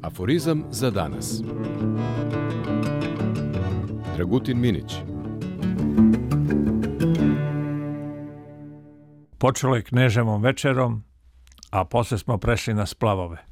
Aforizam za danas. Dragutin Minić. Počelo je Kneževom večerom, a posle smo prešli na splavove.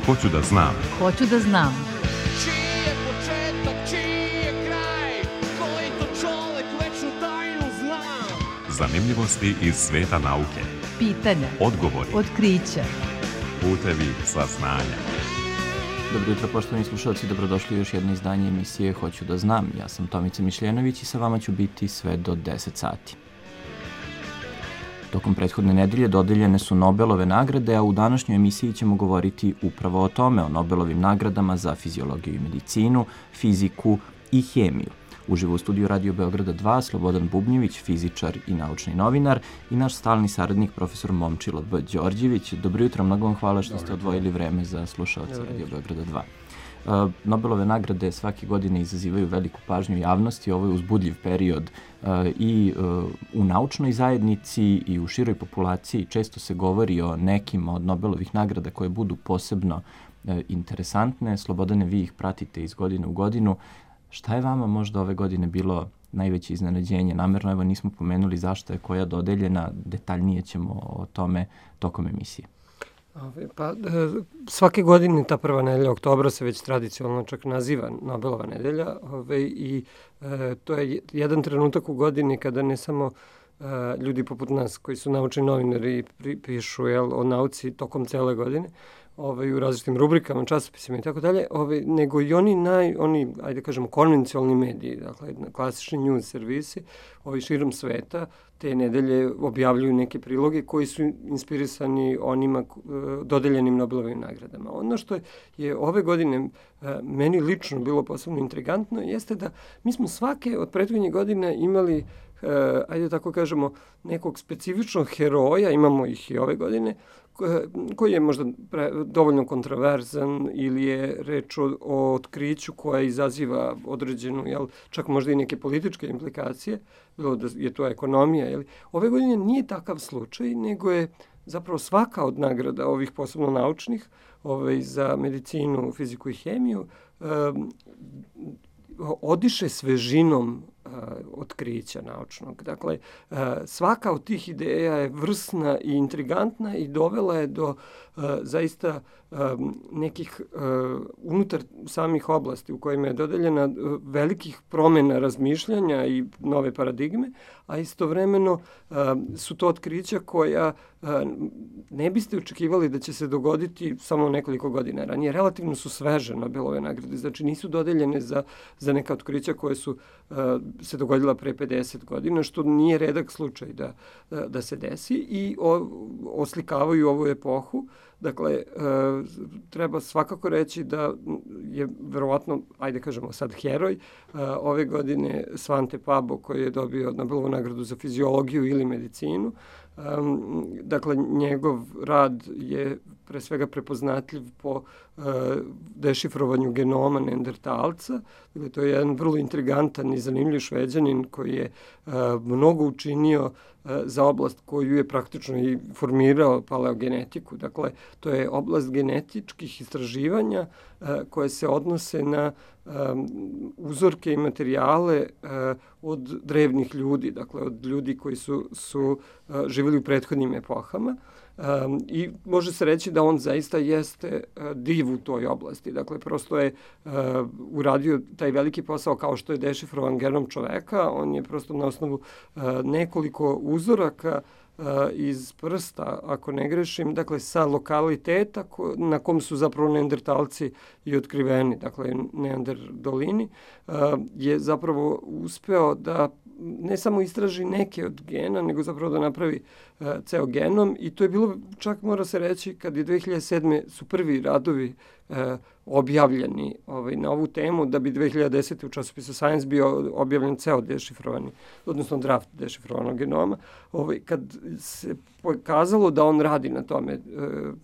Hoću da znam. Hoću da znam. Čiji je početak, čiji je kraj, koji to čovek večnu tajnu zna. Zanimljivosti iz sveta nauke. Pitanja. Odgovori. Otkrića. Putevi saznanja. Dobro jutro, poštovani slušalci, dobrodošli u još jedno izdanje emisije Hoću da znam. Ja sam Tomica Mišljenović i sa vama ću biti sve do 10 sati. Tokom prethodne nedelje dodeljene su Nobelove nagrade, a u današnjoj emisiji ćemo govoriti upravo o tome, o Nobelovim nagradama za fiziologiju i medicinu, fiziku i hemiju. Uživo u studiju Radio Beograda 2, Slobodan Bubnjević, fizičar i naučni novinar, i naš stalni saradnik, profesor Momčilo B. Đorđević. Dobro jutro, mnogo vam hvala što ste odvojili vreme za slušaoce Radio Beograda 2. Nobelove nagrade svake godine izazivaju veliku pažnju javnosti. Ovo je uzbudljiv period i u naučnoj zajednici i u široj populaciji. Često se govori o nekim od Nobelovih nagrada koje budu posebno interesantne. Slobodane, vi ih pratite iz godine u godinu. Šta je vama možda ove godine bilo najveće iznenađenje? Namerno, evo, nismo pomenuli zašto je koja dodeljena. Detaljnije ćemo o tome tokom emisije. Pa, svake godine ta prva nedelja oktobra se već tradicionalno čak naziva Nobelova nedelja i to je jedan trenutak u godini kada ne samo ljudi poput nas koji su naučni novinari pišu o nauci tokom cele godine, u različitim rubrikama, časopisima i tako dalje, nego i oni, ajde kažemo, konvencionalni mediji, dakle, klasični news servisi, širom sveta, te nedelje objavljuju neke priloge koji su inspirisani onima dodeljenim Nobelovim nagradama. Ono što je ove godine meni lično bilo posebno intrigantno jeste da mi smo svake od prethodnih godina imali, ajde tako kažemo, nekog specifičnog heroja, imamo ih i ove godine, koji je možda dovoljno kontroverzan ili je reč o otkriću koja izaziva određenu, čak možda i neke političke implikacije, bilo da je to ekonomija. Ove godine nije takav slučaj, nego je zapravo svaka od nagrada ovih posebno naučnih, za medicinu, fiziku i hemiju, odiše svežinom otkrića naučnog. Dakle, svaka od tih ideja je vrsna i intrigantna i dovela je do zaista nekih unutar samih oblasti u kojima je dodeljena velikih promjena razmišljanja i nove paradigme, a istovremeno su to otkrića koja ne biste očekivali da će se dogoditi samo nekoliko godina ranije. Relativno su sveže Nobelove nagrade, znači nisu dodeljene za neka otkrića koje su se dogodila pre 50 godina, što nije redak slučaj da se desi i oslikavaju ovu epohu. Dakle, treba svakako reći da je verovatno, ajde kažemo sad, heroj ove godine Svante Pabo, koji je dobio Nobelovu nagradu za fiziologiju ili medicinu. Dakle, njegov rad je pre svega prepoznatljiv po dešifrovanju genoma neandertalca. Dakle, to je jedan vrlo intrigantan i zanimljiv Šveđanin koji je mnogo učinio za oblast koju je praktično i formirao paleogenetiku. Dakle, to je oblast genetičkih istraživanja koje se odnose na uzorke i materijale od drevnih ljudi, dakle od ljudi koji su živjeli u prethodnim epohama. I može se reći da on zaista jeste div u toj oblasti. Dakle, prosto je uradio taj veliki posao kao što je dešifrovan genom čoveka. On je prosto na osnovu nekoliko uzoraka iz prsta, ako ne grešim, dakle sa lokaliteta na kom su zapravo neandertalci i otkriveni, dakle neanderdolini, je zapravo uspeo da ne samo istraži neke od gena, nego zapravo da napravi ceo genom i to je bilo, čak mora se reći, kad je 2007. su prvi radovi objavljeni na ovu temu, da bi 2010. u časopisu Science bio objavljen ceo dešifrovani, odnosno draft dešifrovanog genoma. Kad se pokazalo da on radi na tome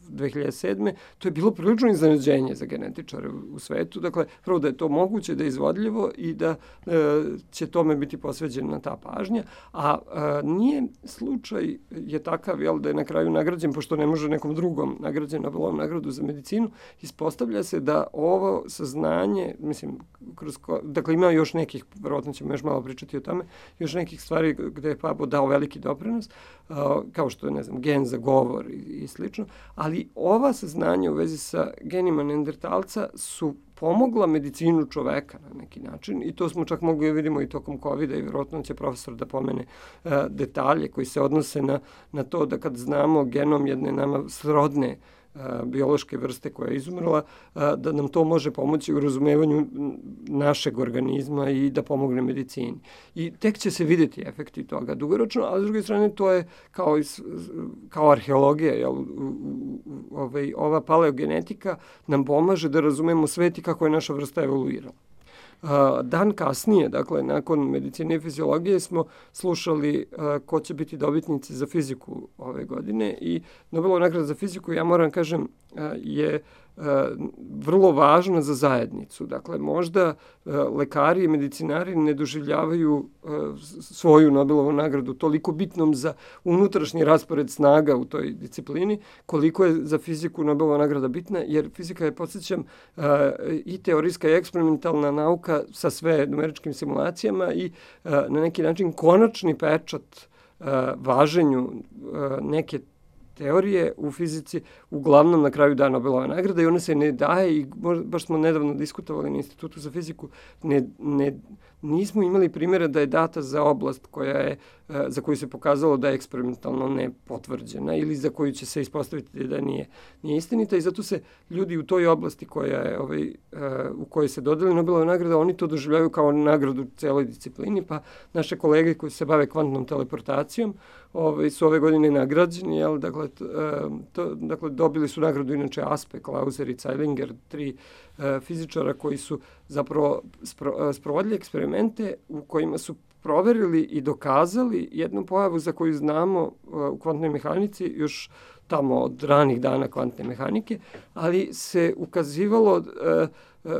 2007. to je bilo prilično iznenađenje za genetičare u svetu. Dakle, prvo da je to moguće, da je izvodljivo i da će tome biti posveđena ta pažnja. A nije slučaj je takav, da je na kraju nagrađen, pošto ne može nekom drugom nagrađen Nobelovom nagradu za medicinu, ispostavlja se da ovo saznanje, dakle ima još nekih, verovatno ćemo još malo pričati o tome, još nekih stvari gde je Pabo dao veliki doprinos, kao što je, gen za govor i slično, ali ova saznanja u vezi sa genima neandertalca su pomogla medicinu čoveka na neki način i to smo čak mogli vidimo i tokom COVID-a i vjerojatno će profesor da pomene detalje koji se odnose na to da kad znamo genom jedne nama srodne biološke vrste koja je izumrla, da nam to može pomoći u razumevanju našeg organizma i da pomogne medicini. I tek će se vidjeti efekti toga dugoročno, a s druge strane to je kao arheologija, ova paleogenetika nam pomaže da razumemo svet i kako je naša vrsta evoluirala. Dan kasnije, dakle, nakon medicine i fiziologije smo slušali ko će biti dobitnici za fiziku ove godine i Nobelova nagrada za fiziku, ja moram kažem, je vrlo važna za zajednicu. Dakle, možda lekari i medicinari ne doživljavaju svoju Nobelovu nagradu toliko bitnom za unutrašnji raspored snaga u toj disciplini, koliko je za fiziku Nobelova nagrada bitna, jer fizika je, podsjećam, i teorijska i eksperimentalna nauka sa sve numeričkim simulacijama i na neki način konačni pečat važenju neke teorije u fizici uglavnom na kraju da Nobelova nagrada i ona se ne daje i baš smo nedavno diskutovali na Institutu za fiziku, nismo imali primjera da je data za oblast za koju se pokazalo da je eksperimentalno nepotvrđena ili za koju će se ispostaviti da nije istinita i zato se ljudi u toj oblasti u kojoj se dodeli Nobelova nagrada, oni to doživljaju kao nagradu celoj disciplini, pa naše kolege koji se bave kvantnom teleportacijom su ove godine nagrađeni, dakle, dobili su nagradu inače Aspe, Klauser i Zeilinger, 3 fizičara koji su zapravo sprovodili eksperimente u kojima su proverili i dokazali jednu pojavu za koju znamo u kvantnoj mehanici još tamo od ranih dana kvantne mehanike, ali se ukazivalo,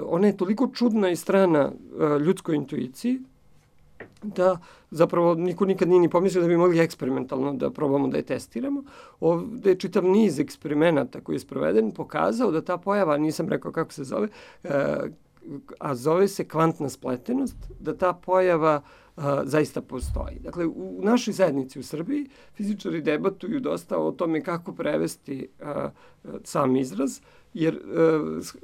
ona je toliko čudna i strana ljudskoj intuiciji, da zapravo niko nikad nije ni pomislio da bi mogli eksperimentalno da probamo da je testiramo. Ovde je čitav niz eksperimenata koji je sproveden pokazao da ta pojava, nisam rekao kako se zove, a zove se kvantna spletenost, da ta pojava zaista postoji. Dakle, u našoj zajednici u Srbiji fizičari debatuju dosta o tome kako prevesti sam izraz, jer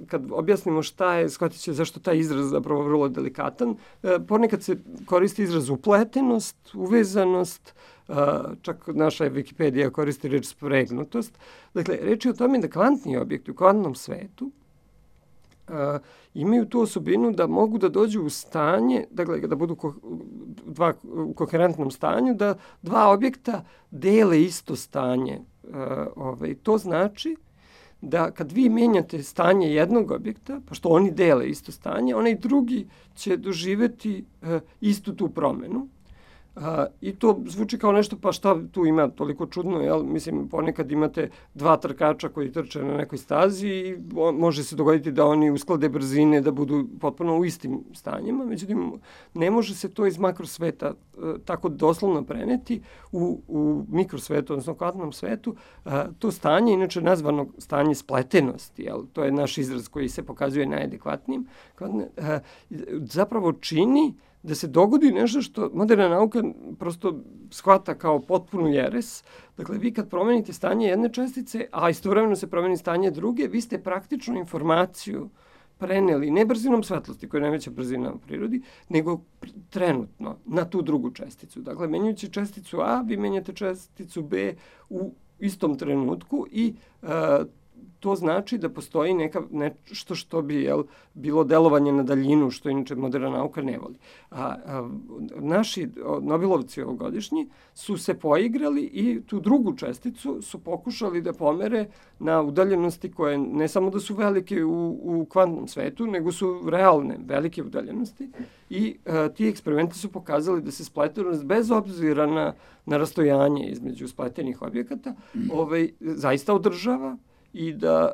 kad objasnimo šta je, shvatit će zašto taj izraz zapravo vrlo delikatan. Ponekad se koristi izraz upletenost, uvezanost, čak naša Wikipedija koristi reč spregnutost. Dakle, reč je o tome da kvantni objekti u kvantnom svetu imaju tu osobinu da mogu da dođu u stanje, dakle, da budu u koherentnom stanju, da dva objekta dele isto stanje. To znači da kad vi menjate stanje jednog objekta, pošto oni dele isto stanje, onaj drugi će doživeti istu tu promenu. I to zvuči kao nešto, pa šta tu ima toliko čudno, jel? Mislim, ponekad imate dva trkača koji trče na nekoj stazi i može se dogoditi da oni usklade brzine, da budu potpuno u istim stanjima, međutim, ne može se to iz makrosveta tako doslovno preneti u mikrosvetu, odnosno kvantnom svetu. To stanje, inače nazvano stanje spletenosti, jel? To je naš izraz koji se pokazuje najadekvatnijim, zapravo čini da se dogodi nešto što moderna nauka prosto shvata kao potpunu jeres. Dakle, vi kad promenite stanje jedne čestice, a istovremeno se promeni stanje druge, vi ste praktično informaciju preneli ne brzinom svetlosti, koja je najveća brzina u prirodi, nego trenutno na tu drugu česticu. Dakle, menjajući česticu A, vi menjate česticu B u istom trenutku i to znači da postoji nešto što bi bilo delovanje na daljinu, što inače moderna nauka ne voli. Naši Nobelovci ovogodišnji su se poigrali i tu drugu česticu su pokušali da pomere na udaljenosti koje ne samo da su velike u kvantnom svetu, nego su realne, velike udaljenosti. I ti eksperimenti su pokazali da se spletenost, bez obzira na rastojanje između spletenih objekata, zaista održava i da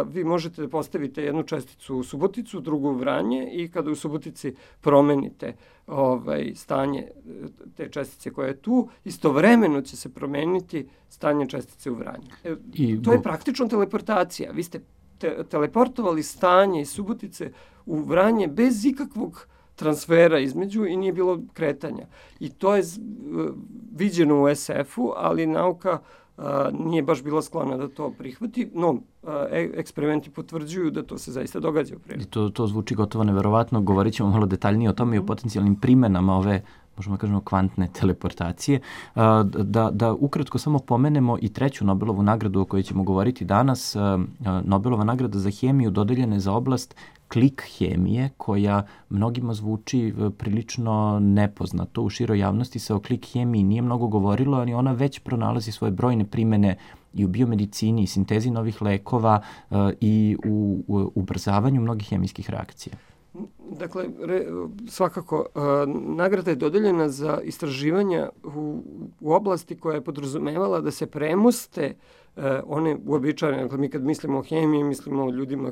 vi možete da postavite jednu česticu u Suboticu, drugu u Vranje i kada u Subotici promenite stanje te čestice koja je tu, istovremeno će se promeniti stanje čestice u Vranju. To je praktično teleportacija. Vi ste teleportovali stanje iz Subotice u Vranje bez ikakvog transfera između i nije bilo kretanja. I to je viđeno u SF-u, ali nauka nije baš bila sklona da to prihvati, no eksperimenti potvrđuju da to se zaista događa u prirodi. To zvuči gotovo neverovatno, govorit ćemo malo detaljnije o tome i o potencijalnim primenama ove, možemo kažemo, kvantne teleportacije. Da ukratko samo pomenemo i treću Nobelovu nagradu o kojoj ćemo govoriti danas. Nobelova nagrada za hemiju dodeljena je za oblast klik hemije, koja mnogima zvuči prilično nepoznato. U široj javnosti se o klik hemiji nije mnogo govorilo, ali ona već pronalazi svoje brojne primene i u biomedicini, i sintezi novih lekova i u ubrzavanju mnogih hemijskih reakcija. Dakle, svakako, nagrada je dodeljena za istraživanja u oblasti koja je podrazumevala da se premoste one uobičajene. Dakle, mi kad mislimo o hemiji, mislimo o ljudima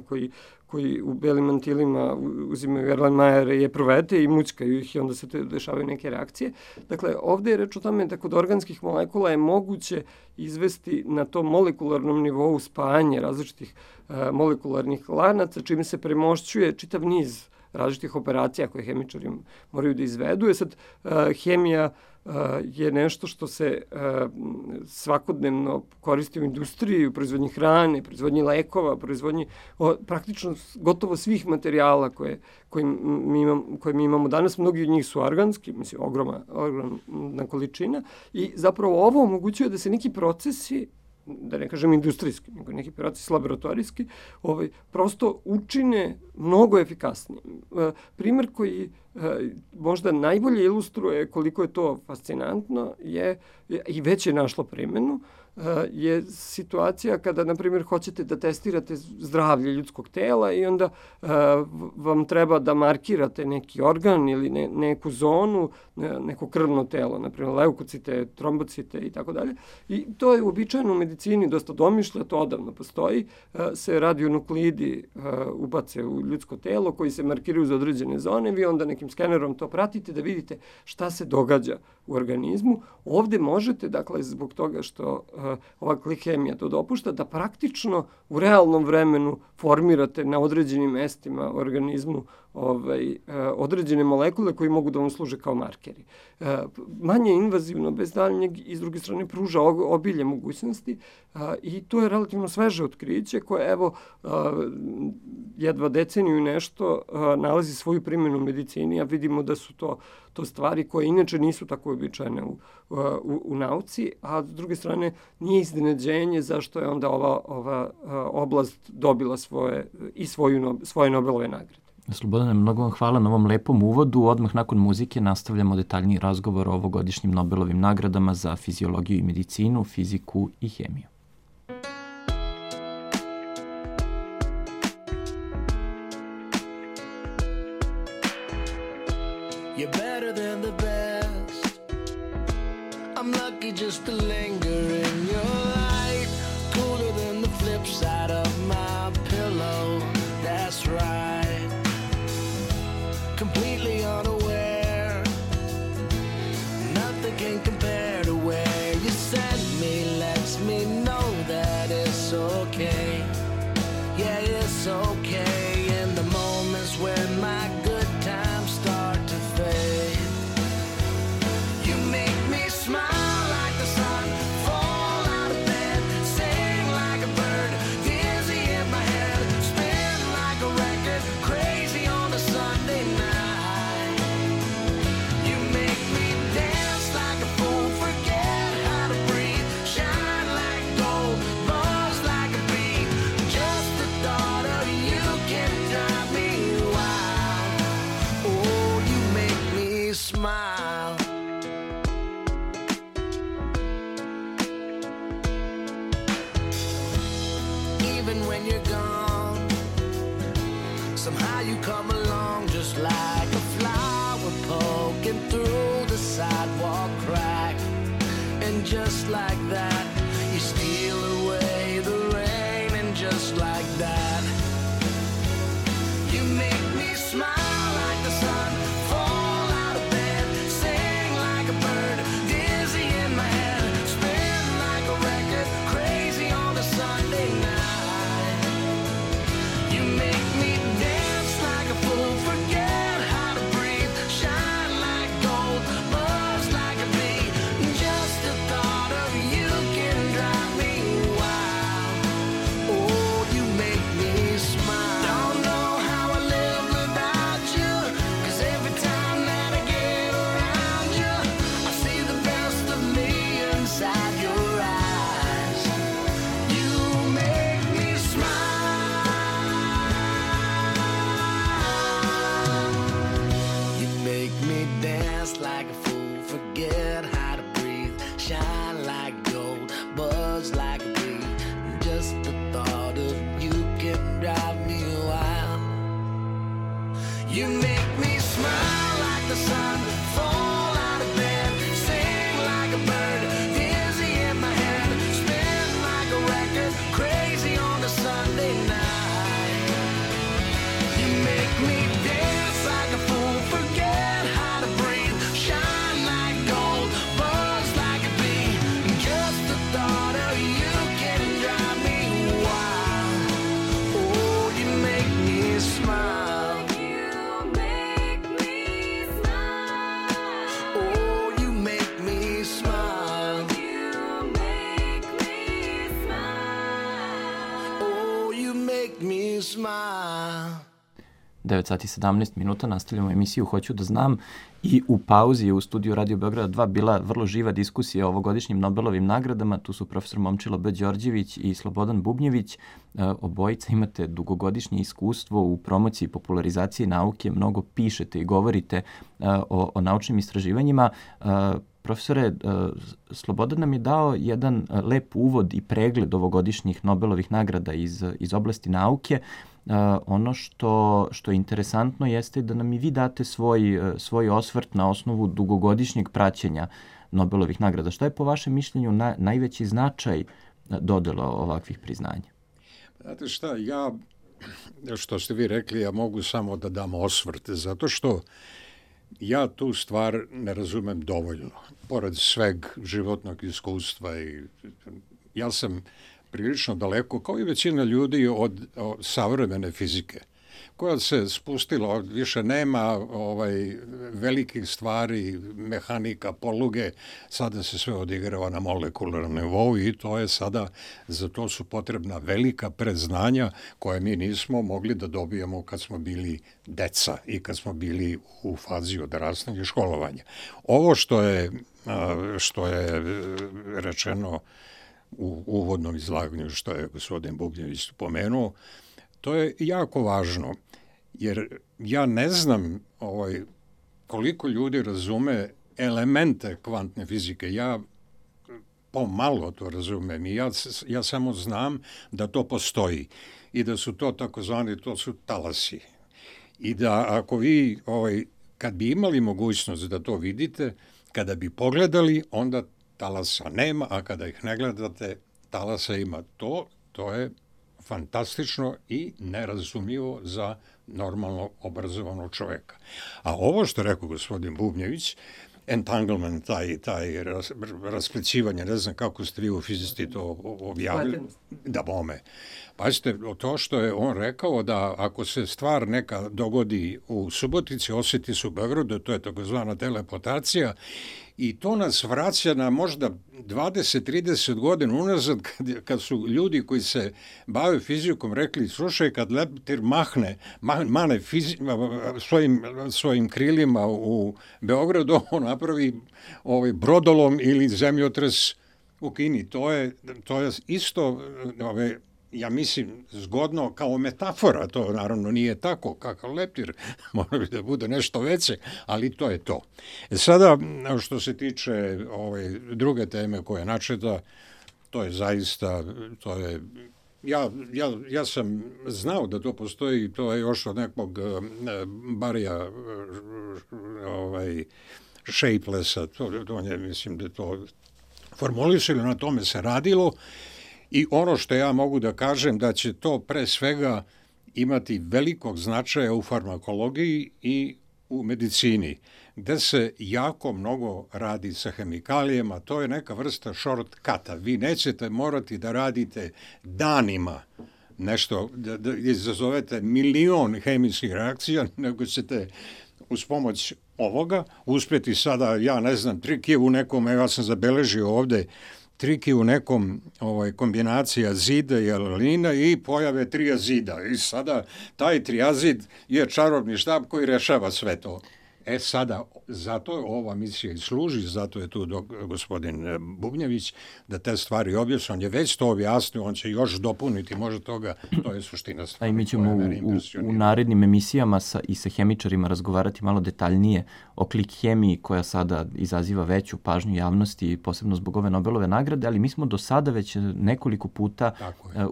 koji u belim mantilima uzimaju Erlenmajere i epruvete i mućkaju ih i onda se dešavaju neke reakcije. Dakle, ovde je reč o tome da kod organskih molekula je moguće izvesti na tom molekularnom nivou spajanje različitih molekularnih lanaca, čime se premošćuje čitav niz različitih operacija koje hemičari moraju da izvedu. Sad, hemija je nešto što se svakodnevno koristi u industriji, u proizvodnji hrane, proizvodnji lekova, proizvodnji praktično gotovo svih materijala koje mi imamo danas. Mnogi od njih su organski, mislim, ogromna količina, i zapravo ovo omogućuje da se neki procesi, da ne kažem industrijski, nego neki proces laboratorijski, prosto učine mnogo efikasnije. Primer koji možda najbolje ilustruje koliko je to fascinantno je, i već je našlo primjenu, je situacija kada, na primjer, hoćete da testirate zdravlje ljudskog tela i onda vam treba da markirate neki organ ili neku zonu, neko krvno telo, na primjer leukocite, trombocite i tako dalje. I to je uobičajeno u medicini dosta domišlja, to odavno postoji. Se radionukleidi ubace u ljudsko telo koji se markiraju za određene zone, vi onda nekim skenerom to pratite da vidite šta se događa u organizmu. Ovde možete, dakle, zbog toga što ova klik hemija to dopušta, da praktično u realnom vremenu formirate na određenim mestima u organizmu određene molekule koji mogu da vam služe kao markeri. Manje invazivno, bez daljnjeg, i s druge strane pruža obilje mogućnosti i to je relativno sveže otkriće koje, evo, jedva deceniju i nešto nalazi svoju primjenu u medicini, a vidimo da su to stvari koje inače nisu tako običajne u nauci, a s druge strane nije iznenađenje zašto je onda ova oblast dobila svoje Nobelove nagrade. Slobodane, mnogo vam hvala na ovom lepom uvodu. Odmah nakon muzike nastavljamo detaljniji razgovor o ovogodišnjim Nobelovim nagradama za fiziologiju i medicinu, fiziku i hemiju. You're better than the best. I'm lucky just to linger in your light. Cooler than the flip side of my pillow. That's right. Completely unaware. Nothing can compare to where you sent me. Lets me know that it's okay. Yeah, it's okay. In the moments when my good times start to fade. You make me smile like the sun. Fall out of bed. Sing like a bird. Dizzy in my head. Spin like a record. Crazy on a Sunday night. You make me dance like a fool. Forget how to breathe. Shine like gold. Buzz like a bee. Just when you're gone. Somehow you come along just like a flower poking through the sidewalk crack. And just like that, you steal away the rain. And just like that, you make me smile like the sun, fall out of bed, sing like a bird, dizzy in my head, spin like a record, crazy on a Sunday night. You make me dance like a fool, forget how to breathe, shine like gold, buzz like a bee. Just the thought of you can drive me wild. Oh, you make me smile. Don't know how I live without you, 'cause every time that I get around you, I see the best of me inside your eyes. You make me smile. You make me dance like a fool, forget how to breathe, shine like gold, buzz like a bee. Just the thought of you can drive me wild. You make me smile like the sun, fall out of bed, sing like a bird, dizzy in my head, spin like a record, crazy on a Sunday night. You make me dance like a fool, forget how to breathe, shine like gold, buzz like a bee. Just the thought of you can drive me wild. Oh, you make me smile. Oh, you make me smile. Oh, you make me smile. 9 sati 17 minuta, nastavljamo emisiju Hoću da znam i u pauzi je u studiju Radio Beograda 2 bila vrlo živa diskusija o ovogodišnjim Nobelovim nagradama. Tu su profesor Momčilo B. Đorđević i Slobodan Bubnjević. Obojica imate dugogodišnje iskustvo u promociji i popularizaciji nauke, mnogo pišete i govorite o naučnim istraživanjima. Profesore, Slobodan nam je dao jedan lep uvod i pregled ovogodišnjih Nobelovih nagrada iz oblasti nauke. Ono što je interesantno jeste da nam i vi date svoj osvrt na osnovu dugogodišnjeg praćenja Nobelovih nagrada. Šta je po vašem mišljenju najveći značaj dodela ovakvih priznanja? Znate šta, što ste vi rekli, ja mogu samo da dam osvrt, zato što ja tu stvar ne razumem dovoljno. Pored sveg životnog iskustva i ja sam prilično daleko, kao i većina ljudi, od savremene fizike, koja se spustila, više nema velikih stvari, mehanika, poluge, sada se sve odigrava na molekularnom nivou i to je sada, za to su potrebna velika predznanja koje mi nismo mogli da dobijemo kad smo bili deca i kad smo bili u fazi odrastanja i školovanja. Ovo što je rečeno u uvodnom izlaganju, što je gospodin Bubnjević pomenuo, to je jako važno, jer ja ne znam koliko ljudi razume elemente kvantne fizike. Ja pomalo to razumem i ja samo znam da to postoji i da su to takozvani, to su talasi. I da ako vi, kad bi imali mogućnost da to vidite, kada bi pogledali, onda talasa nema, a kada ih ne gledate, talasa ima. To je fantastično i nerazumljivo za normalno obrazovanog čoveka. A ovo što rekao gospodin Bubnjević, entanglement, taj rasplećivanje, ne znam kako ste vi u fizici to objavili. Da bome. Pazite, to što je on rekao da ako se stvar neka dogodi u Subotici, osjeti se u Beogradu, to je takozvana teleportacija i to nas vraća na možda 20-30 godina unazad kad su ljudi koji se bave fizikom rekli, slušaj, kad leptir mane svojim krilima u Beogradu, on napravi brodolom ili zemljotres u Kini. To je isto, ja mislim, zgodno kao metafora, to naravno nije tako, kakav leptir, mora bi da bude nešto veće, ali to je to. Sada, što se tiče druge teme koja je načeta, to je zaista, to je ja sam znao da to postoji, to je još od nekog Barija Shapelessa, on je, mislim da to formulisali, na tome se radilo i ono što ja mogu da kažem da će to pre svega imati velikog značaja u farmakologiji i u medicini, gde se jako mnogo radi sa hemikalijama, to je neka vrsta shortcuta. Vi nećete morati da radite danima nešto, da izazovete milion hemijskih reakcija, nego ćete uz pomoć ovoga uspjeti sada, ja ne znam, trik je u nekom, ja sam zabeležio ovde, trik je u nekom kombinacija zida i alanina i pojave triazida. I sada taj triazid je čarobni štab koji rešava sve to. Sada, zato ova misija i služi, zato je tu gospodin Bubnjević, da te stvari objasni. On je već to objasnio, on će još dopuniti možda toga, to je suština stvari. A i mi ćemo u narednim emisijama i sa hemičarima razgovarati malo detaljnije o klik hemiji koja sada izaziva veću pažnju javnosti, posebno zbog ove Nobelove nagrade, ali mi smo do sada već nekoliko puta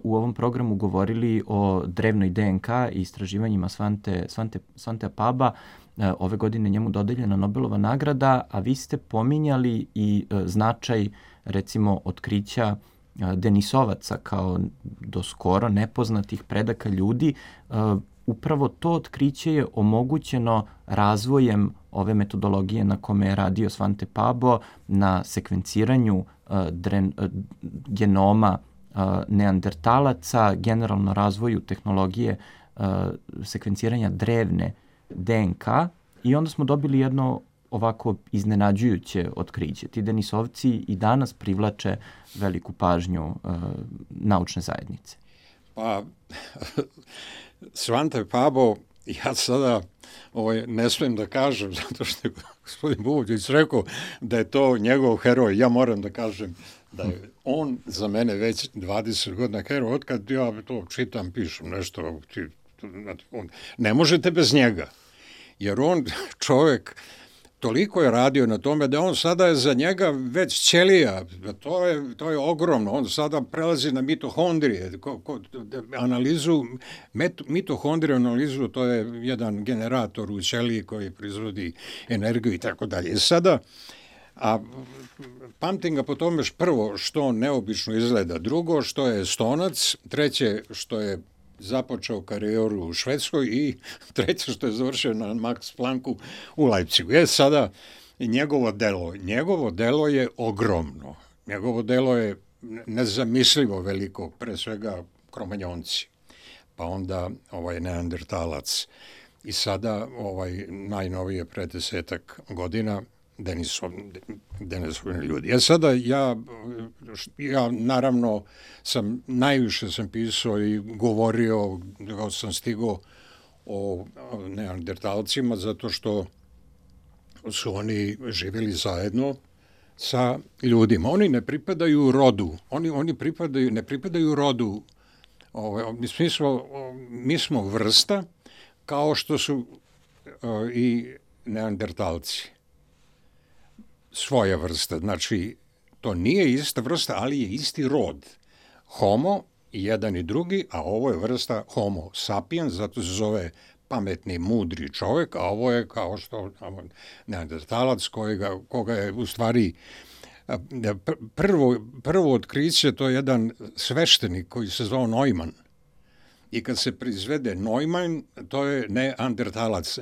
u ovom programu govorili o drevnoj DNK i istraživanjima Svante Paba. Ove godine njemu dodeljena Nobelova nagrada, a vi ste pominjali i značaj, recimo, otkrića Denisovaca kao do skoro nepoznatih predaka ljudi. Upravo to otkriće je omogućeno razvojem ove metodologije na kome je radio Svante Pabo, na sekvenciranju genoma neandertalaca, generalno razvoju tehnologije sekvenciranja drevne DNK i onda smo dobili jedno ovako iznenađujuće otkriće. Ti Denisovci i danas privlače veliku pažnju naučne zajednice. Pa, Svante Pabo, ja sada ne smijem da kažem, zato što je gospodin Bubović rekao da je to njegov heroj. Ja moram da kažem da je on za mene već 20 godina heroj. Otkad ja to čitam, pišem nešto, ne možete bez njega. Jer on, čovjek, toliko je radio na tome da on sada je za njega već ćelija. To je ogromno. On sada prelazi na mitohondrije. Mitohondriju analizu, to je jedan generator u ćeliji koji proizvodi energiju i tako dalje. Sada, pamtim ga po tome prvo što neobično izgleda, drugo što je Estonac, treće što je započeo karijeru u Švedskoj i treće što je završio na Max Plancku u Leipzigu. Sada njegovo delo je ogromno. Njegovo delo je nezamislivo veliko, pre svega Kromanjonci, pa onda Neandertalac i sada najnovije pre 10 godina Denisovni ljudi. Sada ja naravno najviše sam pisao i govorio, kako sam stigao o neandertalcima, zato što su oni živjeli zajedno sa ljudima. Oni ne pripadaju rodu. Ne pripadaju rodu. Mi smo vrsta kao što su i neandertalci. Svoja vrsta. Znači, to nije ista vrsta, ali je isti rod. Homo, jedan i drugi, a ovo je vrsta Homo sapiens, zato se zove pametni, mudri čovjek, a ovo je kao što neandertalac koga je u stvari prvo otkriće, to je jedan sveštenik koji se zvao Neumann. I kad se proizvede Neumann, to je neandertalac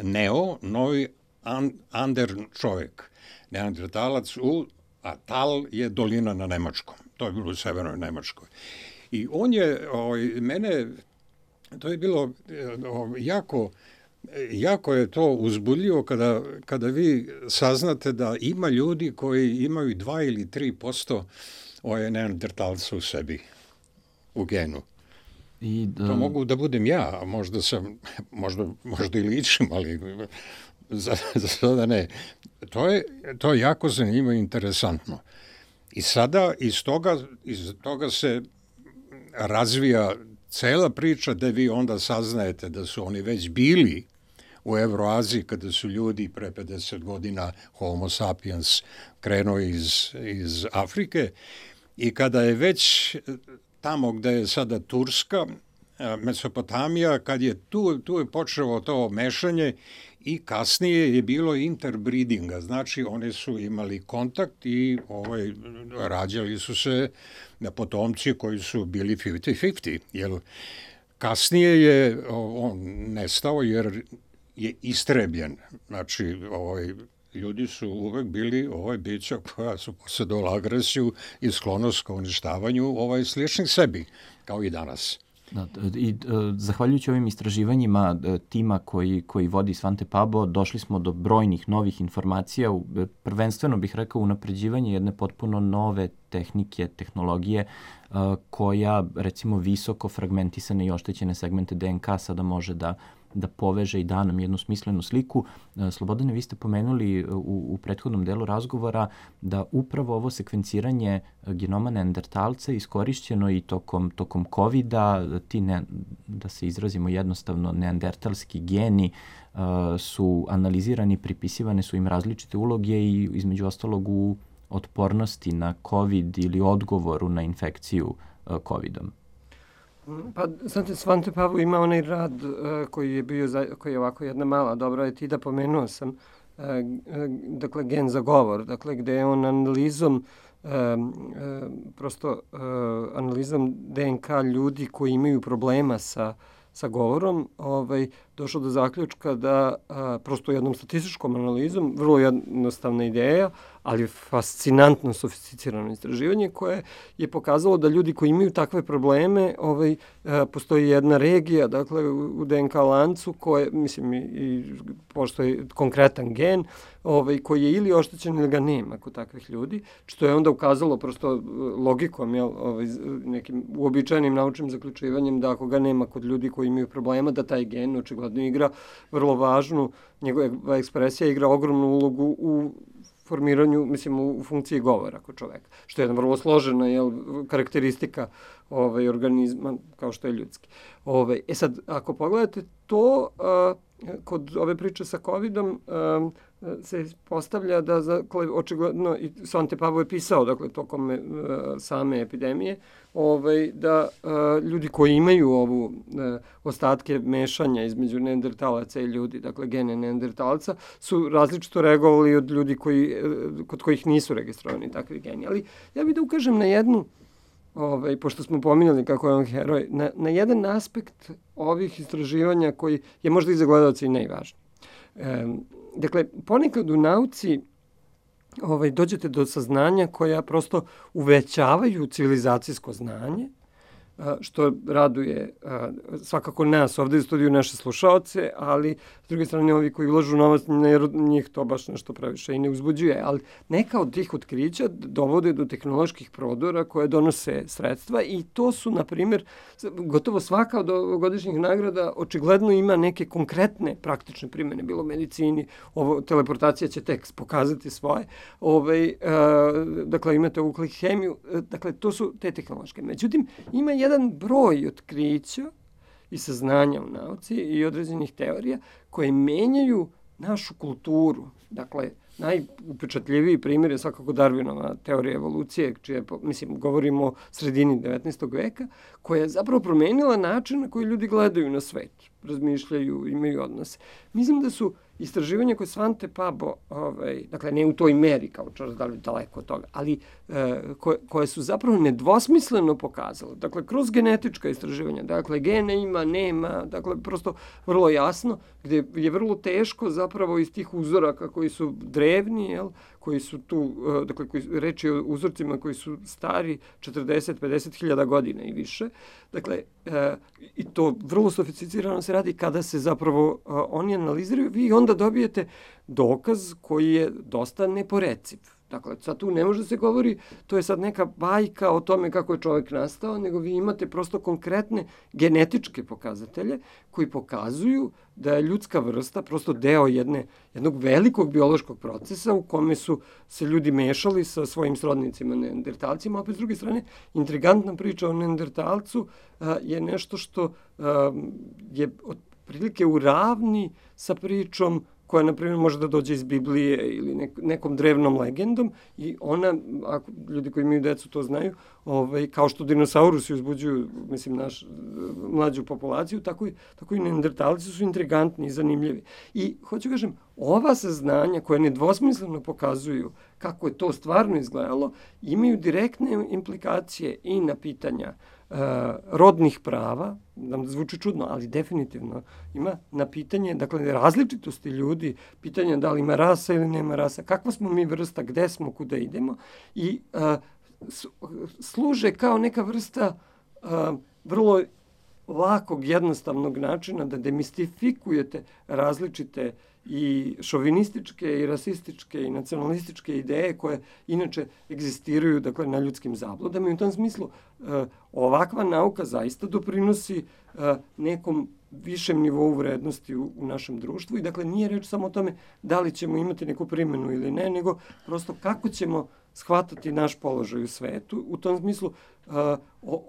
ander čovjek. Neandertalac a Tal je dolina na nemačkom. To je bilo u severnoj Nemačkoj. I on je mene, to je bilo jako je to uzbudljivo kada vi saznate da ima ljudi koji imaju 2 ili 3% neandertalca u sebi, u genu. To mogu da budem ja, možda i ličim, ali za sada ne. To je jako zanimljivo i interesantno. I sada iz toga se razvija cela priča da vi onda saznajete da su oni već bili u Evroaziji kada su ljudi pre 50 godina Homo sapiens krenuo iz Afrike i kada je već tamo gde je sada Turska, Mesopotamija, kad je tu je počelo to mešanje i kasnije je bilo interbreedinga, znači oni su imali kontakt i rađali su se potomci koji su bili 50-50, jer kasnije je on nestao jer je istrebljen, znači ljudi su uvek bili bića koja su posjedovala agresiju i sklonost ka uništavanju sličnih sebi, kao i danas. I zahvaljujući ovim istraživanjima tima koji vodi Svante Pabo, došli smo do brojnih novih informacija, prvenstveno bih rekao unapređivanje jedne potpuno nove tehnike, tehnologije koja recimo visoko fragmentisane i oštećene segmente DNK sada može da poveže i da nam jednu smislenu sliku. Slobodane, vi ste pomenuli u prethodnom delu razgovora da upravo ovo sekvenciranje genoma neandertalca iskorišćeno i tokom COVID-a, da se izrazimo jednostavno, neandertalski geni su analizirani, pripisivane su im različite uloge i između ostalog u otpornosti na COVID ili odgovoru na infekciju COVID-om. Pa, znate, Svante Pabo ima onaj rad koji je bio, koji je ovako jedna mala dobra etida, pomenuo sam, dakle, gen za govor, dakle, gde je on analizom analizom DNK ljudi koji imaju problema sa govorom, došao do zaključka da prosto jednom statističkom analizom, vrlo jednostavna ideja, ali fascinantno sofisticirano istraživanje koje je pokazalo da ljudi koji imaju takve probleme, postoji jedna regija, dakle u DNK lancu koje, mislim, i postoji konkretan gen koji je ili oštećen ili ga nema kod takvih ljudi, što je onda ukazalo prosto logikom, nekim uobičajenim naučnim zaključivanjem da ako ga nema kod ljudi koji imaju problema, da taj gen očigledno igra vrlo važnu, njegova ekspresija igra ogromnu ulogu u formiranju, mislim, u funkciji govora kod čoveka, što je jedna vrlo složena karakteristika organizma kao što je ljudski. Sad, ako pogledate to, kod ove priče sa COVID-om se postavlja da očigledno, i Svante Pabo je pisao, dakle, tokom same epidemije, da ljudi koji imaju ovu ostatke mešanja između neandertalaca i ljudi, dakle gene neandertalca, su različito reagovali od ljudi kod kojih nisu registrovani takvi geni. Ali ja bih da ukažem na jednu, pošto smo pominjali kako je on heroj, na jedan aspekt ovih istraživanja koji je možda i za gledalce i najvažniji. Dakle, ponekad u nauci dođete do saznanja koja prosto uvećavaju civilizacijsko znanje, što raduje svakako nas ovde u studiju, naše slušaoce, ali s druge strane ovi koji ulažu novac, njih to baš nešto previše i ne uzbuđuje. Ali neka od tih otkrića dovode do tehnoloških prodora koje donose sredstva i to su, na primjer, gotovo svaka od ovogodišnjih nagrada očigledno ima neke konkretne praktične primjene, bilo u medicini, teleportacija će tek pokazati svoje, dakle imate ovu hemiju, dakle to su te tehnološke. Međutim, ima jedan broj otkrića i saznanja u nauci i određenih teorija koje menjaju našu kulturu. Dakle, najupečatljiviji primjer je svakako Darwinova teorija evolucije, čije, mislim, govorimo o sredini 19. veka, koja je zapravo promenila način na koji ljudi gledaju na svet, razmišljaju, imaju odnose. Mislim da su istraživanja koje Svante Pabo, dakle ne u toj meri kao Charles Darwin, daleko od toga, ali koje su zapravo nedvosmisleno pokazale, dakle kroz genetička istraživanja, dakle gene ima, nema, dakle prosto vrlo jasno, gde je vrlo teško zapravo iz tih uzoraka koji su drevni, koji su tu, dakle reč je o uzorcima koji su stari 40-50 hiljada godina i više, dakle i to vrlo sofisticirano se radi kada se zapravo oni analiziraju, vi onda dobijete dokaz koji je dosta neporeciv. Dakle, sad tu ne može se govori, to je sad neka bajka o tome kako je čovjek nastao, nego vi imate prosto konkretne genetičke pokazatelje koji pokazuju da je ljudska vrsta prosto deo jednog velikog biološkog procesa u kome su se ljudi mešali sa svojim srodnicima neandertalcima. Opet, s druge strane, intrigantna priča o neandertalcu je nešto što je otprilike u ravni sa pričom koja, na primjer, može da dođe iz Biblije ili nekom drevnom legendom i ona, ako ljudi koji imaju decu to znaju, kao što dinosaurusi uzbuđuju, mislim, mlađu populaciju, tako i neandertalci su intrigantni i zanimljivi. I, hoću kažem, ova saznanja koja nedvosmisleno pokazuju kako je to stvarno izgledalo, imaju direktne implikacije i na pitanja rodnih prava, nam zvuči čudno, ali definitivno ima na pitanje, dakle, različitosti ljudi, pitanje da li ima rasa ili nema rasa, kakva smo mi vrsta, gde smo, kuda idemo i služe kao neka vrsta vrlo lakog, jednostavnog načina da demistifikujete različite i šovinističke i rasističke i nacionalističke ideje koje inače egzistiraju, dakle, na ljudskim zabludama i u tom smislu ovakva nauka zaista doprinosi nekom višem nivou vrednosti u našem društvu i dakle nije reč samo o tome da li ćemo imati neku primjenu ili ne, nego prosto kako ćemo shvatati naš položaj u svetu. U tom smislu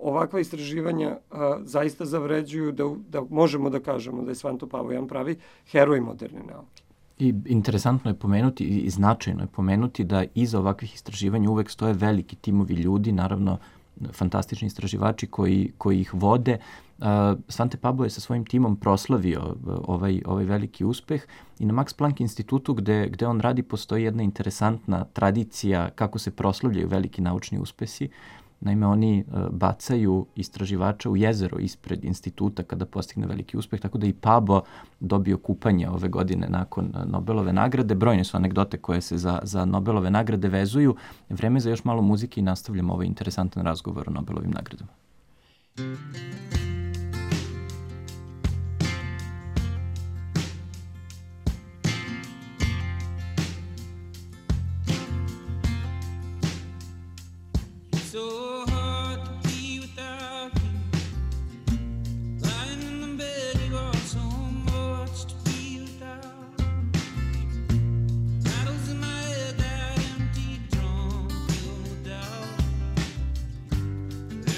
ovakva istraživanja zaista zavređuju da možemo da kažemo da je Svante Pavao pravi heroj moderne nauke. I interesantno je pomenuti i značajno je pomenuti da iza ovakvih istraživanja uvek stoje veliki timovi ljudi, naravno fantastični istraživači koji ih vode. Svante Pabo je sa svojim timom proslavio ovaj veliki uspeh i na Max Planck institutu gde on radi postoji jedna interesantna tradicija kako se proslavljaju veliki naučni uspesi. Naime, oni bacaju istraživača u jezero ispred instituta kada postigne veliki uspeh, tako da i Pabo dobio kupanje ove godine nakon Nobelove nagrade. Brojne su anegdote koje se za Nobelove nagrade vezuju. Vreme za još malo muzike i nastavljamo ovaj interesantan razgovor o Nobelovim nagradama.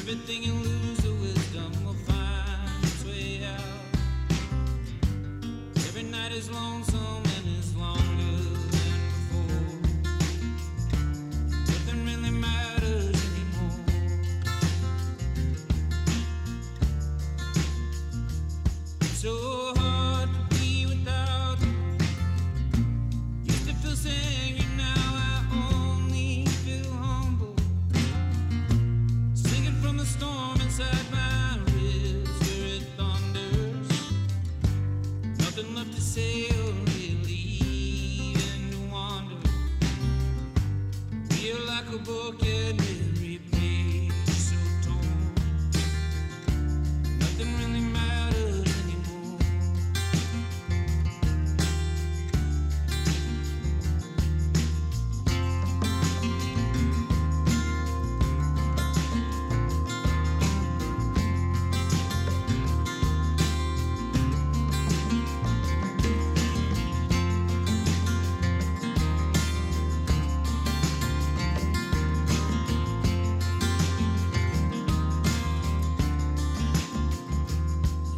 Everything you lose the wisdom will find its way out. Every night is lonesome and is longer than before. Nothing really matters anymore. It's so hard to be without you. Used to feel singing, now I only feel humble. Singing from the storm inside my ribs where it thunders. Nothing left to say or really and wander. Feel like a book and every page so torn. Nothing really matters anymore.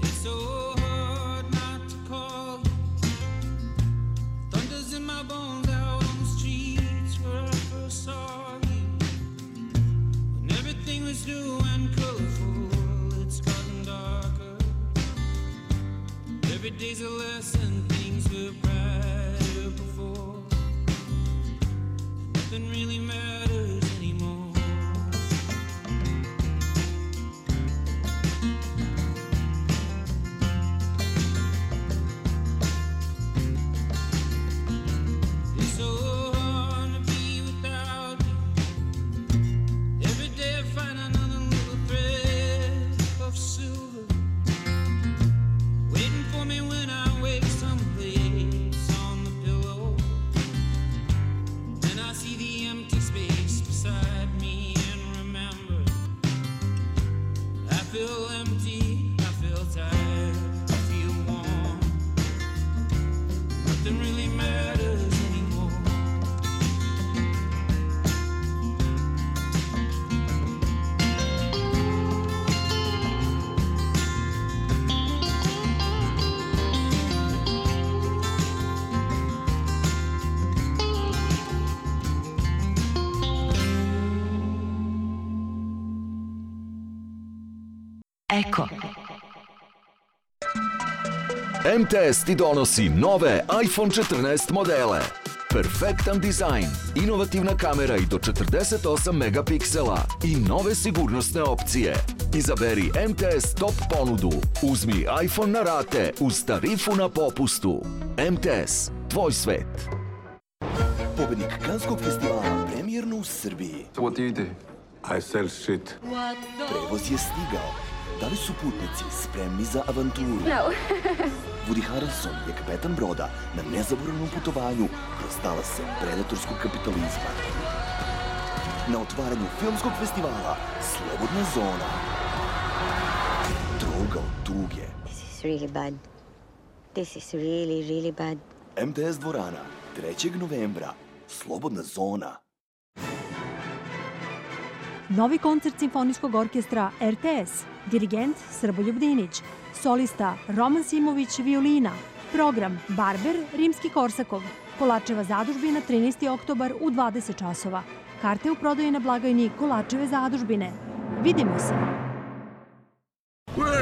It's so hard not to call you. Thunder's in my bones out on the streets where I first saw you. When everything was new and colorful, it's gotten darker. Every day's a lesson, things were brighter before. Nothing really matters anymore. It's so hard to be without you. Every day I find another little thread of silver, waiting for me when I wake someplace on the pillow. Then I see the empty space Eko. MTS ti donosi nove iPhone 14 modele. Perfektan dizajn, inovativna kamera i do 48 megapiksela i nove sigurnosne opcije. Izaberi MTS top ponudu. Uzmi iPhone na rate uz tarifu na popustu. MTS, tvoj svet. Pobednik Kanskog festivala premijerno u Srbiji. What do you do? I sell shit. Prevoz je stigao. Da li su putnici spremni za avanturu? No. Woody Harrelson je kapetan broda na nezaboravnom putovanju kroz talase predatorskog kapitalizma. Na otvaranju filmskog festivala Slobodna zona. Droga od tuge. This is really bad. This is really, really bad. MTS dvorana, 3. novembra. Slobodna zona. Novi koncert Simfonijskog orkestra RTS, dirigent Srboljub Dinić, solista Roman Simović violina, program Barber Rimski-Korsakov, Kolačeva zadužbina 13. oktobar u 20 časova. Karte u prodaji na blagajni Kolačeve zadužbine. Vidimo se!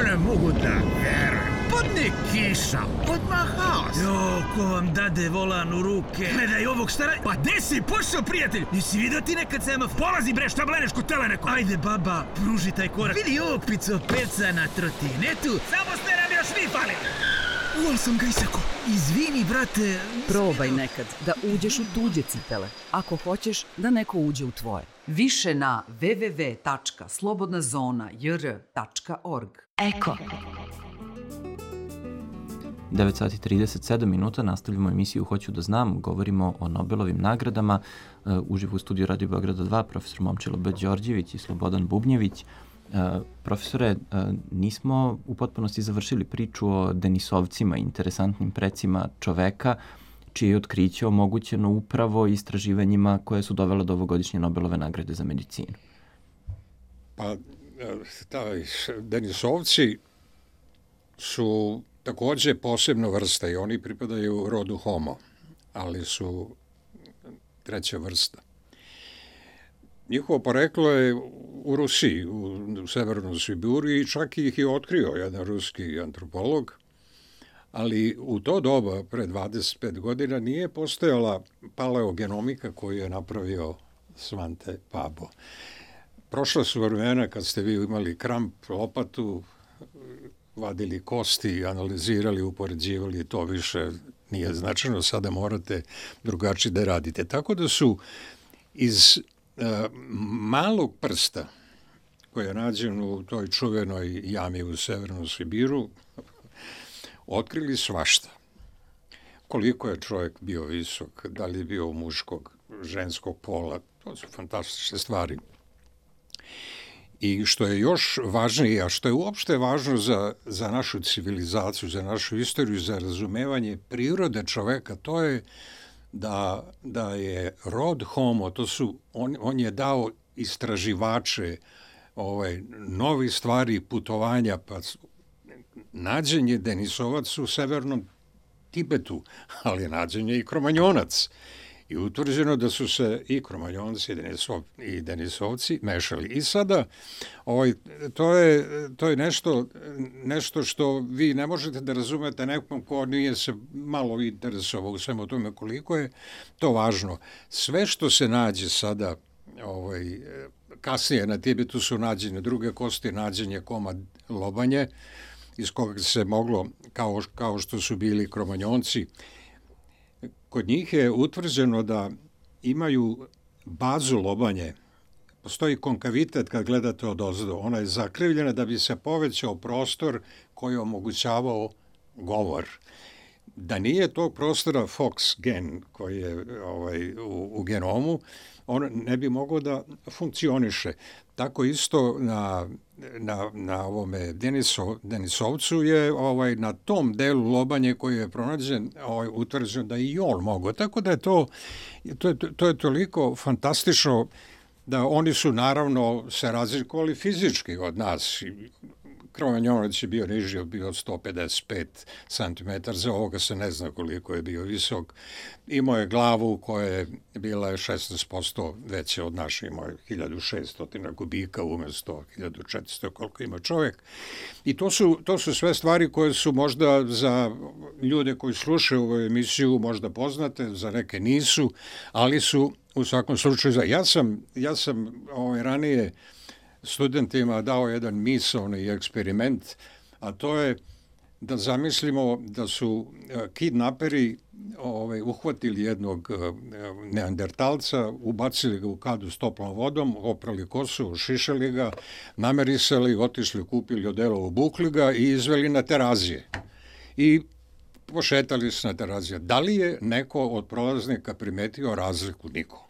Ne mogu da verujem. Padne kiša, odmah haos. Jo, ko vam dade volan u ruke? Gledaj ovog stara... Pa gde si pošao, prijatelj? Nisi vidio ti nekad semafor? Polazi bre, šta bleneš kod teleneko? Ajde, baba, pruži taj korak. Vidi ovog picopeca na trotinetu. Samo ste nam još vi fali. Uvol sam ga isako. Izvini, brate. Probaj nekad da uđeš u tuđe cipele, ako hoćeš da neko uđe u tvoje. Više na www.slobodnazona.jr.org. Eko. 9 sati 37 minuta, nastavljamo emisiju Hoću da znam, govorimo o Nobelovim nagradama. Uživo u studiju Radio Beograda 2, profesor Momčilo B. Đorđević i Slobodan Bubnjević. Profesore, nismo u potpunosti završili priču o Denisovcima, interesantnim precima čoveka, čije je otkriće omogućeno upravo istraživanjima koje su dovele do ovogodišnje Nobelove nagrade za medicinu. Pa, Denisovci su takođe posebna vrsta i oni pripadaju rodu Homo, ali su treća vrsta. Njihovo poreklo je u Rusiji, u Severnoj Sibiriji, i čak ih je otkrio jedan ruski antropolog, ali u to doba, pre 25 godina, nije postojala paleogenomika koju je napravio Svante Pabo. Prošla su vremena kad ste vi imali kramp, lopatu, vadili kosti, analizirali, upoređivali, to više nije značajno, sada morate drugačije da radite. Tako da su iz malog prsta, koji je nađen u toj čuvenoj jami u Severnom Sibiru, otkrili svašta. Koliko je čovjek bio visok, da li je bio muškog, ženskog pola, to su fantastične stvari. I što je još važnije, a što je uopšte važno za našu civilizaciju, za našu istoriju, za razumevanje prirode čoveka, to je da je rod Homo, on je dao istraživače novi stvari, putovanja, pa nađen je Denisovac u severnom Tibetu, ali nađen je i Kromanjonac. I utvrđeno da su se i Kromanjonci i Denisovci mešali. I sada to je nešto što vi ne možete da razumete nekom ko nije se malo interesovao u svemu tome koliko je to važno. Sve što se nađe sada, kasnije na Tibetu su nađene druge kosti, nađen je komad lobanje, iz koga se moglo, kao što su bili Kromanjonci, kod njih je utvrđeno da imaju bazu lobanje. Postoji konkavitet kad gledate odozdo. Ona je zakrivljena da bi se povećao prostor koji je omogućavao govor. Da nije tog prostora Fox gen koji je u genomu, on ne bi mogao da funkcioniše. Tako isto na ovome Denisovcu je na tom delu lobanje koji je pronađen utvrđeno da i on mogo. Tako da je to je toliko fantastično da oni su naravno se razlikovali fizički od nas. Kromanjonac je bio niži, bio 155 cm, za ovoga se ne zna koliko je bio visok. Imao je glavu koja je bila 16% veća od naše, imao je 1600 kubika umjesto 1400 koliko ima čovjek. I to su sve stvari koje su možda za ljude koji slušaju ovu emisiju možda poznate, za neke nisu, ali su u svakom slučaju. Ja sam ranije studentima dao jedan misaoni eksperiment, a to je da zamislimo da su kidnaperi uhvatili jednog neandertalca, ubacili ga u kadu s toplom vodom, oprali kosu, ošišali ga, namerisali, otišli, kupili odelo, obukli ga i izveli na Terazije. I pošetali se na Terazije. Da li je neko od prolaznika primetio razliku? Niko.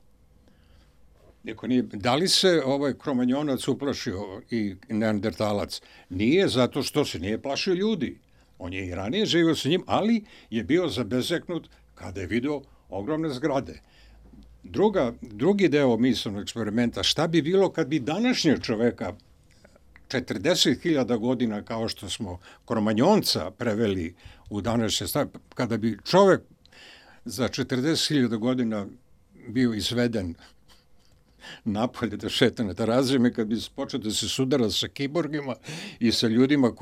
Da li se Kromanjonac uplašio i neandertalac? Nije, zato što se nije plašio ljudi. On je i ranije živio sa njim, ali je bio zabezeknut kada je vidio ogromne zgrade. Drugi deo misanog eksperimenta, šta bi bilo kad bi današnjeg čoveka 40.000 godina, kao što smo Kromanjonca preveli u današnje stanje, kada bi čovek za 40.000 godina bio izveden napolje da šeta na Terazijama, kad bi počeo da se sudara sa kiborgima i sa ljudima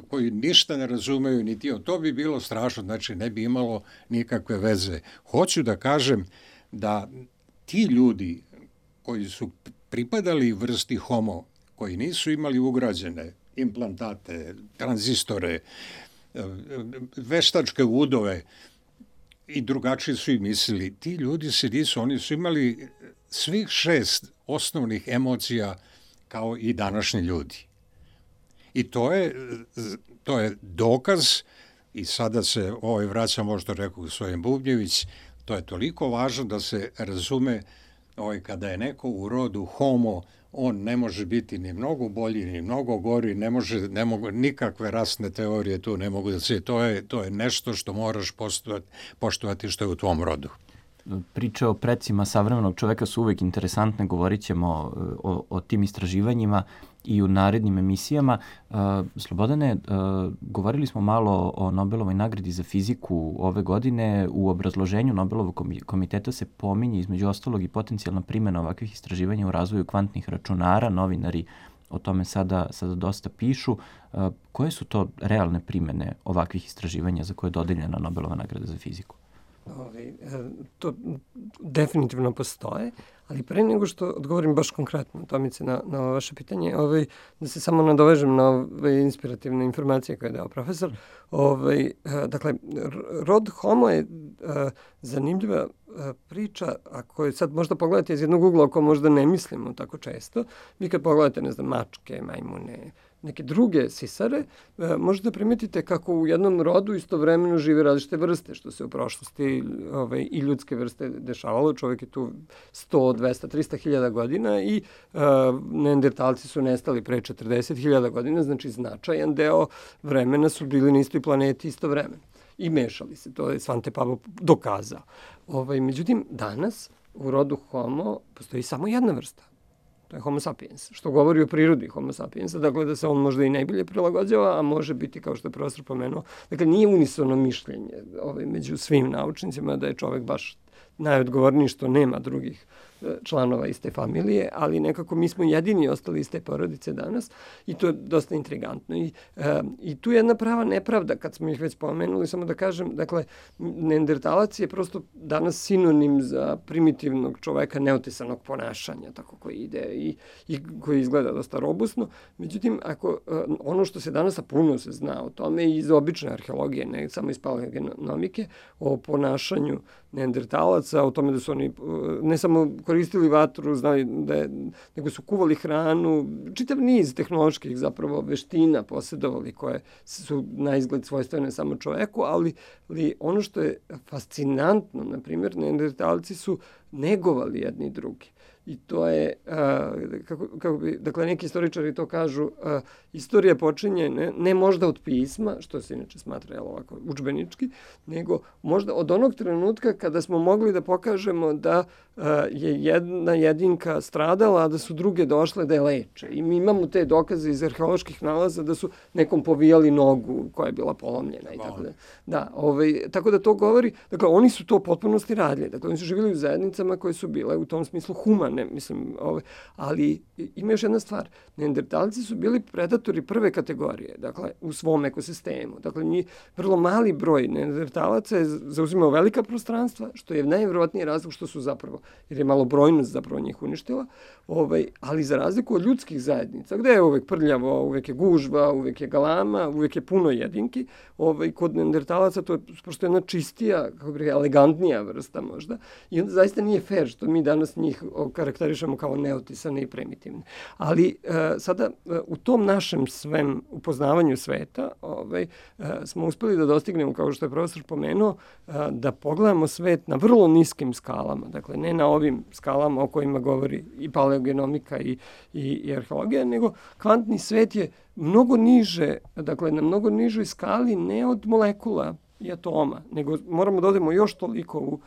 koji ništa ne razumeju, niti to bi bilo strašno, znači ne bi imalo nikakve veze. Hoću da kažem da ti ljudi koji su pripadali vrsti homo, koji nisu imali ugrađene implantate, tranzistore, veštačke udove i drugačije su i mislili, ti ljudi se nisu, oni su imali svih 6 osnovnih emocija kao i današnji ljudi. I to je dokaz, i sada se vraća možda rekao gospodin Bubnjević, to je toliko važno da se razume kada je neko u rodu homo, on ne može biti ni mnogo bolji, ni mnogo gori, ne mogu nikakve rasne teorije tu ne mogu da se, to je nešto što moraš poštovati što je u tvom rodu. Priče o precima savremenog čoveka su uvek interesantne, govorit ćemo o tim istraživanjima i u narednim emisijama. Slobodane, govorili smo malo o Nobelovoj nagradi za fiziku ove godine. U obrazloženju Nobelovog komiteta se pominje između ostalog i potencijalna primjena ovakvih istraživanja u razvoju kvantnih računara. Novinari o tome sada dosta pišu. Koje su to realne primjene ovakvih istraživanja za koje je dodeljena Nobelova nagrada za fiziku? To definitivno postoje, ali pre nego što odgovorim baš konkretno, Tomice, na vaše pitanje, da se samo nadovežem na ove inspirativne informacije koje je dao profesor. Dakle, rod homo je zanimljiva priča, ako je sad možda pogledate iz jednog ugla, ako možda ne mislimo tako često, vi kad pogledate, ne znam, mačke, majmune, neke druge sisare, možete primetiti kako u jednom rodu istovremeno žive različite vrste, što se u prošlosti i ljudske vrste dešavalo. Čovjek je tu 100, 200, 300.000 godina i neandertalci su nestali pre 40.000 godina, znači značajan deo vremena su bili na istoj planeti istovremeno i mešali se. To je Svante Pavlov dokazao. Međutim, danas u rodu homo postoji samo jedna vrsta. To je homo sapiens, što govori o prirodi homo sapiensa, dakle da se on možda i najbolje prilagođava, a može biti, kao što je profesor pomenuo, dakle nije unisono mišljenje među svim naučnicima da je čovek baš najodgovorniji što nema drugih članova iz te familije, ali nekako mi smo jedini ostali iz te porodice danas i to je dosta intrigantno. I tu je jedna prava nepravda, kad smo ih već spomenuli, samo da kažem, dakle, neandertalac je prosto danas sinonim za primitivnog čoveka neotesanog ponašanja, tako koji ide i koji izgleda dosta robustno. Međutim, ono što se danas, a puno se zna o tome i iz obične arheologije, ne samo iz paleogenomike, o ponašanju neandertalaca, o tome da su oni ne samo koristili vatru, znali nego su kuvali hranu, čitav niz tehnoloških zapravo veština posjedovali koje su na izgled svojstvene samo čoveku, ali ono što je fascinantno, na primjer, neandertalci su negovali jedni drugi. i to je, dakle, neki istoričari to kažu, istorija počinje ne možda od pisma, što se inače smatra ovako udžbenički, nego možda od onog trenutka kada smo mogli da pokažemo da je jedna jedinka stradala, a da su druge došle da je leče. I mi imamo te dokaze iz arheoloških nalaza da su nekom povijali nogu koja je bila polomljena i tako da. Da, tako da to govori, dakle, oni su to u potpunosti radili. Dakle, oni su živjeli u zajednicama koje su bile u tom smislu humane, mislim, ali ima još jedna stvar. Neandertalci su bili predatori prve kategorije, dakle, u svom ekosistemu. Dakle, vrlo mali broj neandertalaca je zauzimao velika prostranstva, što je najvjerovatniji razlog što su zapravo, jer je malo brojnost zapravo njih uništila, ali za razliku od ljudskih zajednica, gde je uvek prljavo, uvek je gužva, uvek je galama, uvek je puno jedinki, kod neandertalaca to je prosto jedna čistija, kako bih elegantnija vrsta možda, i onda zaista nije fair što mi danas njih karakterišemo kao neotisane i primitivne. Ali sada u tom našem svem upoznavanju sveta smo uspeli da dostignemo, kao što je profesor pomenuo, da pogledamo svet na vrlo niskim skalama, dakle ne na ovim skalama o kojima govori i paleogenomika i arheologija, nego kvantni svet je mnogo niže, dakle na mnogo nižoj skali ne od molekula i atoma, nego moramo da odemo još toliko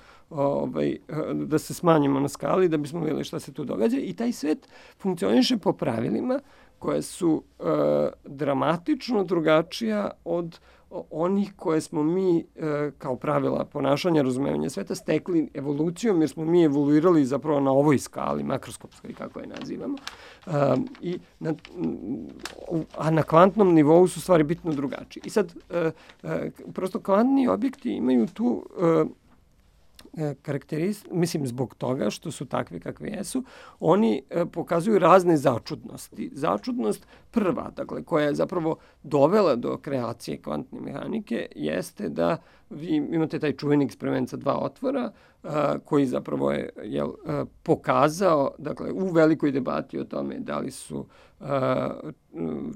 da se smanjimo na skali da bismo vidjeli šta se tu događa i taj svet funkcioniše po pravilima koje su dramatično drugačija od onih koje smo mi kao pravila ponašanja, razumevanja sveta stekli evolucijom, jer smo mi evoluirali zapravo na ovoj skali, makroskopskoj, kako je nazivamo. A na kvantnom nivou su stvari bitno drugačije. I sad, prosto kvantni objekti imaju tu mislim zbog toga što su takvi kakvi jesu, oni pokazuju razne začudnosti. Začudnost prva, dakle, koja je zapravo dovela do kreacije kvantne mehanike, jeste da vi imate taj čuveni eksperiment sa dva otvora, koji zapravo je pokazao, dakle, u velikoj debati o tome da li su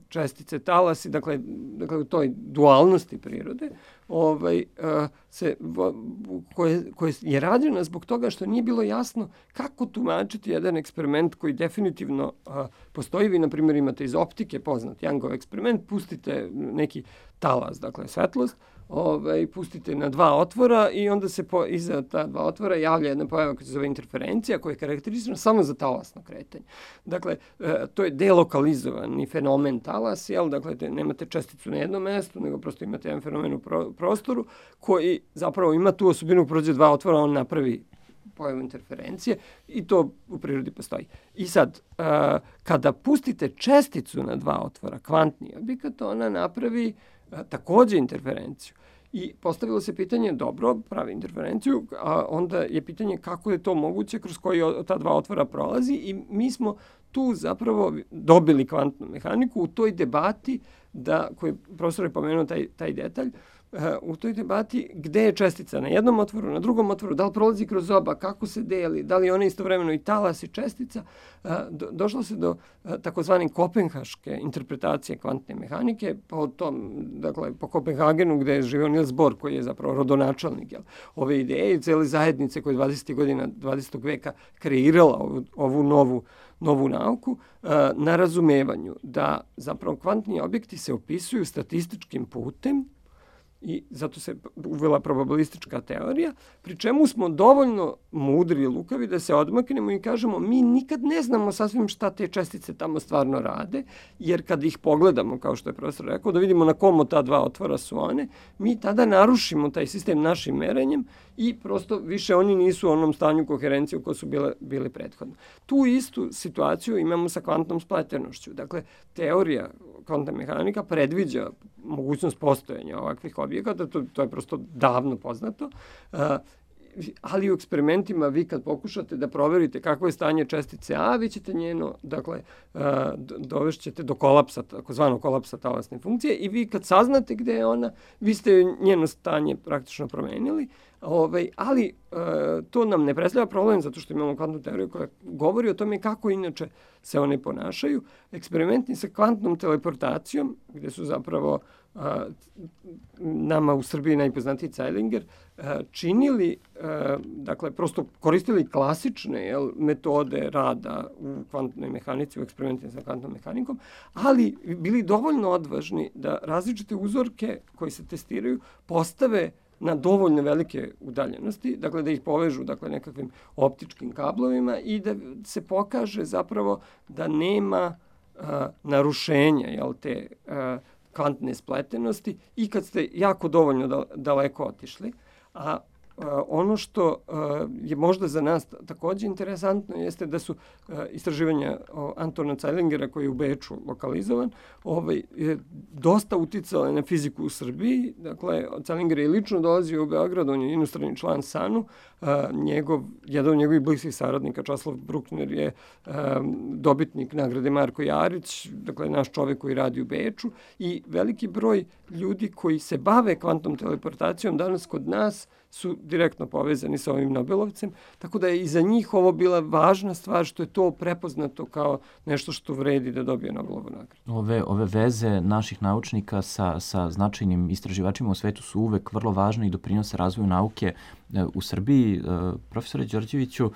čestice talasi, dakle u toj dualnosti prirode, koje je rađena zbog toga što nije bilo jasno kako tumačiti jedan eksperiment koji definitivno postoji. Vi, na primjer, imate iz optike poznat Youngov eksperiment, pustite neki talas, dakle svetlost, pustite na dva otvora i onda se iza ta dva otvora javlja jedna pojava koja se zove interferencija, koja je karakteristina samo za talasno kretanje. Dakle, to je delokalizovani fenomen talas, dakle, nemate česticu na jednom mestu, nego prosto imate jedan fenomen u prostoru koji zapravo ima tu osobinu, prođe dva otvora, on napravi pojavu interferencije i to u prirodi postoji. I sad, kada pustite česticu na dva otvora, kvantni objekat, ona napravi takođe interferenciju. I postavilo se pitanje, dobro, pravi interferenciju, a onda je pitanje kako je to moguće, kroz koji ta dva otvora prolazi i mi smo tu zapravo dobili kvantnu mehaniku u toj debati, koji profesor je pomenuo taj detalj, u toj debati gde je čestica na jednom otvoru, na drugom otvoru, da li prolazi kroz oba, kako se deli, da li ona istovremeno i talas i čestica, došlo se do takozvane kopenhaške interpretacije kvantne mehanike, po Kopenhagenu gde je živio Niels Bohr, koji je zapravo rodonačelnik ove ideje i cele zajednice koje je 20. godina 20. veka kreirala ovu novu nauku, na razumevanju da zapravo kvantni objekti se opisuju statističkim putem i zato se uvela probabilistička teorija, pri čemu smo dovoljno mudri i lukavi da se odmaknemo i kažemo mi nikad ne znamo sasvim šta te čestice tamo stvarno rade, jer kad ih pogledamo, kao što je profesor rekao, da vidimo na kom od ta dva otvora su one, mi tada narušimo taj sistem našim merenjem i prosto više oni nisu u onom stanju koherencije u kojoj su bili prethodno. Tu istu situaciju imamo sa kvantnom spleternošću. Dakle, teorija kvantna mehanika predviđa mogućnost postojanja ovakvih objekata, to je prosto davno poznato, ali u eksperimentima vi kad pokušate da proverite kakvo je stanje čestice A, vi ćete dovešćete do kolapsa, takozvanog kolapsa talasne funkcije i vi kad saznate gde je ona, vi ste njeno stanje praktično promenili, ali to nam ne predstavlja problem zato što imamo kvantnu teoriju koja govori o tome kako inače se one ponašaju. Eksperimenti sa kvantnom teleportacijom, gde su zapravo nama u Srbiji najpoznatiji Zeilinger, činili, dakle, prosto koristili klasične metode rada u kvantnoj mehanici, u eksperimentima sa kvantnom mehanikom, ali bili dovoljno odvažni da različite uzorke koji se testiraju postave na dovoljno velike udaljenosti, dakle da ih povežu nekakvim optičkim kablovima i da se pokaže zapravo da nema narušenja te kvantne spletenosti i kad ste jako dovoljno daleko otišli. A ono što je možda za nas takođe interesantno jeste da su istraživanja Antona Zeilingera, koji je u Beču lokalizovan, dosta uticale na fiziku u Srbiji. Dakle, Zeilinger je lično dolazio u Beograd, on je inostrani član SANU. Jedan od njegovih bliskih saradnika, Časlav Bruckner, je dobitnik nagrade Marko Jarić, dakle naš čovek koji radi u Beču, i veliki broj ljudi koji se bave kvantnom teleportacijom danas kod nas su direktno povezani sa ovim Nobelovcem, tako da je i za njih ovo bila važna stvar što je to prepoznato kao nešto što vredi da dobije Nobelovu nagradu. Ove veze naših naučnika sa značajnim istraživačima u svetu su uvek vrlo važne i doprinose razvoju nauke u Srbiji. Profesore Đorđeviću,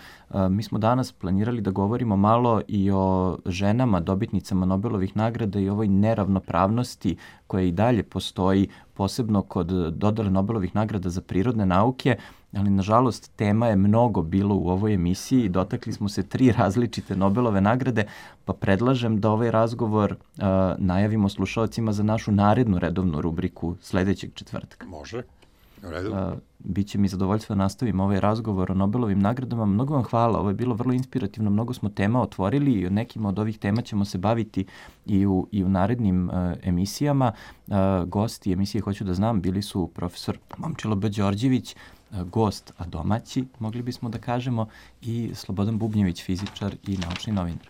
mi smo danas planirali da govorimo malo i o ženama, dobitnicama Nobelovih nagrada i ovoj neravnopravnosti koja i dalje postoji, posebno kod dodele Nobelovih nagrada za prirodne nauke, ali nažalost tema je mnogo bilo u ovoj emisiji i dotakli smo se 3 različite Nobelove nagrade, pa predlažem da ovaj razgovor najavimo slušalcima za našu narednu redovnu rubriku sledećeg četvrtka. Može. Redu. Biće mi zadovoljstvo da nastavim ovaj razgovor o Nobelovim nagradama. Mnogo vam hvala, ovo je bilo vrlo inspirativno, mnogo smo tema otvorili i o nekima od ovih tema ćemo se baviti i u narednim emisijama. Gosti emisije Hoću da znam bili su profesor Momčilo B. Đorđević, gost, a domaći, mogli bismo da kažemo, i Slobodan Bubnjević, fizičar i naučni novinar.